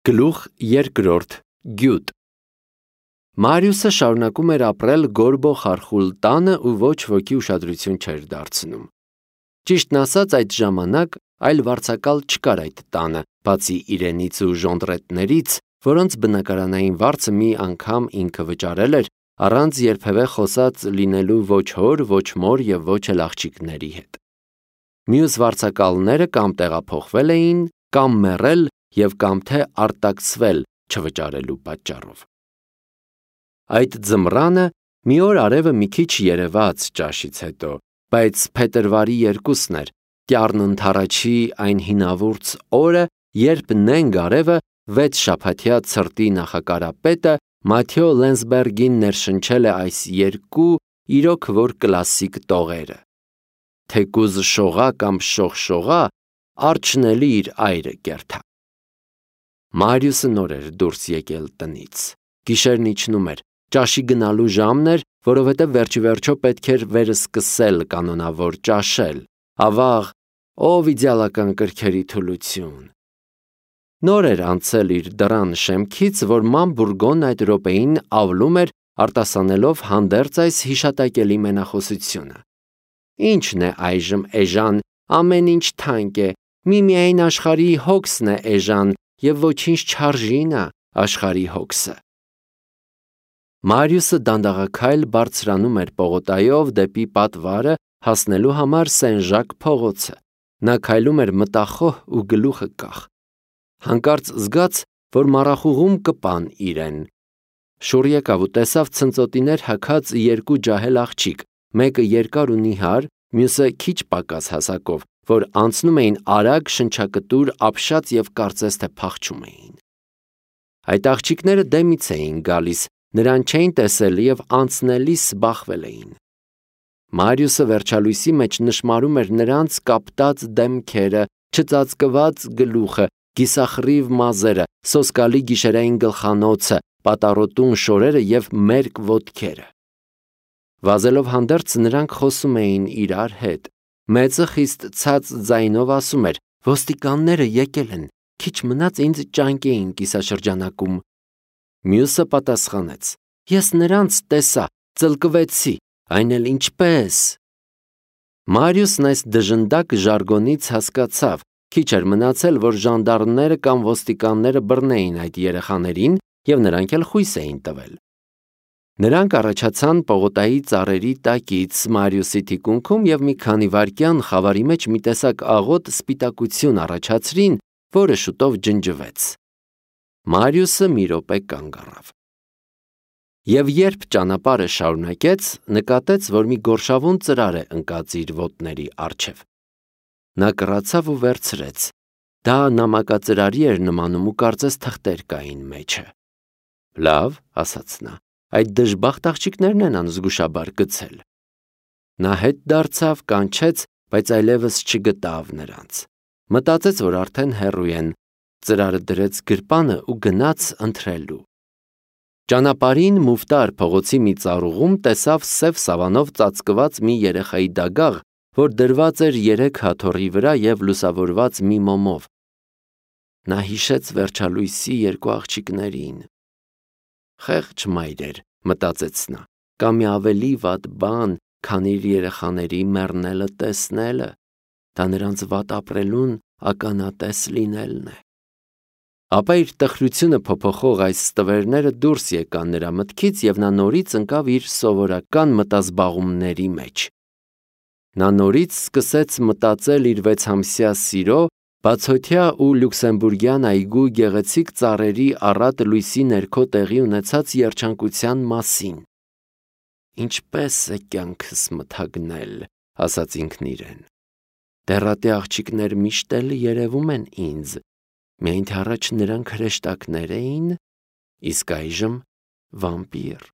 Գլուխ երկրորդ Գյուտ Մարիուսը շարունակում էր ապրել Գորբո խարխուլ տանը ու ոչ ոքի ուշադրություն չէր դարձնում։ Ճիշտն ասած, այդ ժամանակ այլ վարձակալ չկար այդ տանը, բացի իրենից ու ժոնտրետներից, որոնց բնակարանային վարձը մի անգամ ինքը վճարել էր, առանց երբևէ խոսած լինելու ոչ հոր, ոչ մոր և ոչ էլ աղջիկների հետ։ Մյուս վարձակալները կամ տեղափոխվել էին, կամ մեռել և կամ թե արտաքսվել չվճարելու պատճառով։ Այդ ձմռանը մի օր արևը մի քիչ երևաց ճաշից հետո, բայց փետրվարի 2-ն էր, տյառն ընդառաջի այն հինավուրց օրը, երբ նենգ արևը 6 շաբաթյա ցրտի նախակարապետը Մաթեո Լենսբերգին ներշնչել է այս երկու իրոք որ կլասիկ տողերը. թեկուզ շողա կամ շողշողա, արջն էլի իր այրը կերթա։ Մարիուսը նոր էր դուրս եկել տնից։ Գիշերն իջնում էր, ճաշի գնալու ժամն էր, որովհետև վերջիվերջո պետք էր վերսկսել կանոնավոր ճաշել, ավաղ, ով իդեալական կրքերի թուլություն։ Նոր էր անցել իր դռան շեմքից, որ ման Բուրգոնն այդ րոպեին ավլում էր, արտասանելով հանդերձ այս հիշատակելի մենախոսությունը. Ինչն է այժմ էժան, ամեն ինչ թանկ է, միայն աշխարհի հոգսն է էժան, և ոչինչ չարժին է աշխարհի հոգսը։ Մարիուսը դանդաղաքայլ բարձրանում էր պողոտայով դեպի պատվարը հասնելու համար Սեն-Ժակ փողոցը։ Նա քայլում էր մտախոհ ու գլուխը կախ։ Հանկարծ զգաց, որ մառախուղում կպան իրեն։ Շուռ եկավ ու տեսավ ցնծոտիներ հագած երկու ջահել աղջիկ, մեկը երկար ու նիհար, մյուսը քիչ պակաս հասակով, որ անցնում էին արագ, շնչակտուր, ապշած և կարծես թե փախչում էին։ Այդ աղջիկները դեմից էին գալիս, նրան չէին տեսել և անցնելիս բախվել էին։ Մարիուսը վերջալույսի մեջ նշմարում էր նրանց կապտած դեմքերը, չծածկված գլուխը, կիսախռիվ մազերը, սոսկալի գիշերային գլխանոցը, պատառոտուն շորերը և մերկ ոտքերը։ Վազելով հանդերձ նրանք խոսում էին իրար հետ։ Մեծը խիստ ցած ձայնով ասում էր. «Ոստիկանները եկել են, քիչ մնաց ինձ ճանկեին կիսաշրջանակում»։ Մյուսը պատասխանեց. «Ես նրանց տեսա, ծլկվեցի, այն էլ ինչպես»։ Մարիուսն այս դժնդակ ժարգոնից հասկացավ, քիչ էր մնացել, որ ժանդարմները կամ ոստիկանները բռնեին այդ երեխաներին և նրանք էլ խույս էին տվել։ Նրանք առաջացան պողոտայի ծառերի տակից Մարիուսի թիկունքում և մի քանի վայրկյան խավարի մեջ մի տեսակ աղոտ սպիտակություն առաջացրին, որը շուտով ջնջվեց։ Մարիուսը մի րոպե կանգ առավ։ Եվ երբ ճանապարհը շարունակեց, նկատեց, որ մի գորշավուն ծրար է ընկած իր ոտների առջև։ Նա կռացավ ու վերցրեց։ Դա նամակածրարի էր նմանում ու կարծես թղթեր կային մեջը։ Լավ, ասաց նա, այդ դժբախտ աղջիկներն են անզգուշաբար գցել։ Նա հետ դարձավ, կանչեց, բայց այլևս չգտավ նրանց։ Մտածեց, որ արդեն հեռու են, ծրարը դրեց գրպանը ու գնաց ընթրելու։ Ճանապարհին Մուֆտար փողոցի մի ծառուղում տեսավ սև սավանով ծածկված մի երեխայի դագաղ, որ դրված էր 3 հաթոռի վրա և լուսավորված մի մոմով։ Նա հիշեց վերջալույսի երկու աղջիկներին։ Խեղճ մայրեր, մտածեց նա, կա մի ավելի վատ բան, քան իր երեխաների մեռնելը տեսնելը, դա նրանց վատ ապրելուն ականատես լինելն է։ Ապա իր տխրությունը փոփոխող այս ստվերները դուրս եկան նրա մտքից և նա նորից ընկավ իր սովորական մտազբաղումների մեջ։ Նա նորից սկսեց մտածել իր 6-ամսյա սիրո, բացօթյա ու լյուքսեմբուրգյան այգու գեղեցիկ ծառերի առատ լույսի ներքո տեղի ունեցած երջանկության մասին։ Ինչպես է կյանքս մթագնել, ասաց ինքն իրեն։ Դեռատե աղջիկներ միշտ էլ երևում են ինձ, միայն թե առաջ նրանք հրեշտակներ էին, իսկ այժմ վամպիր։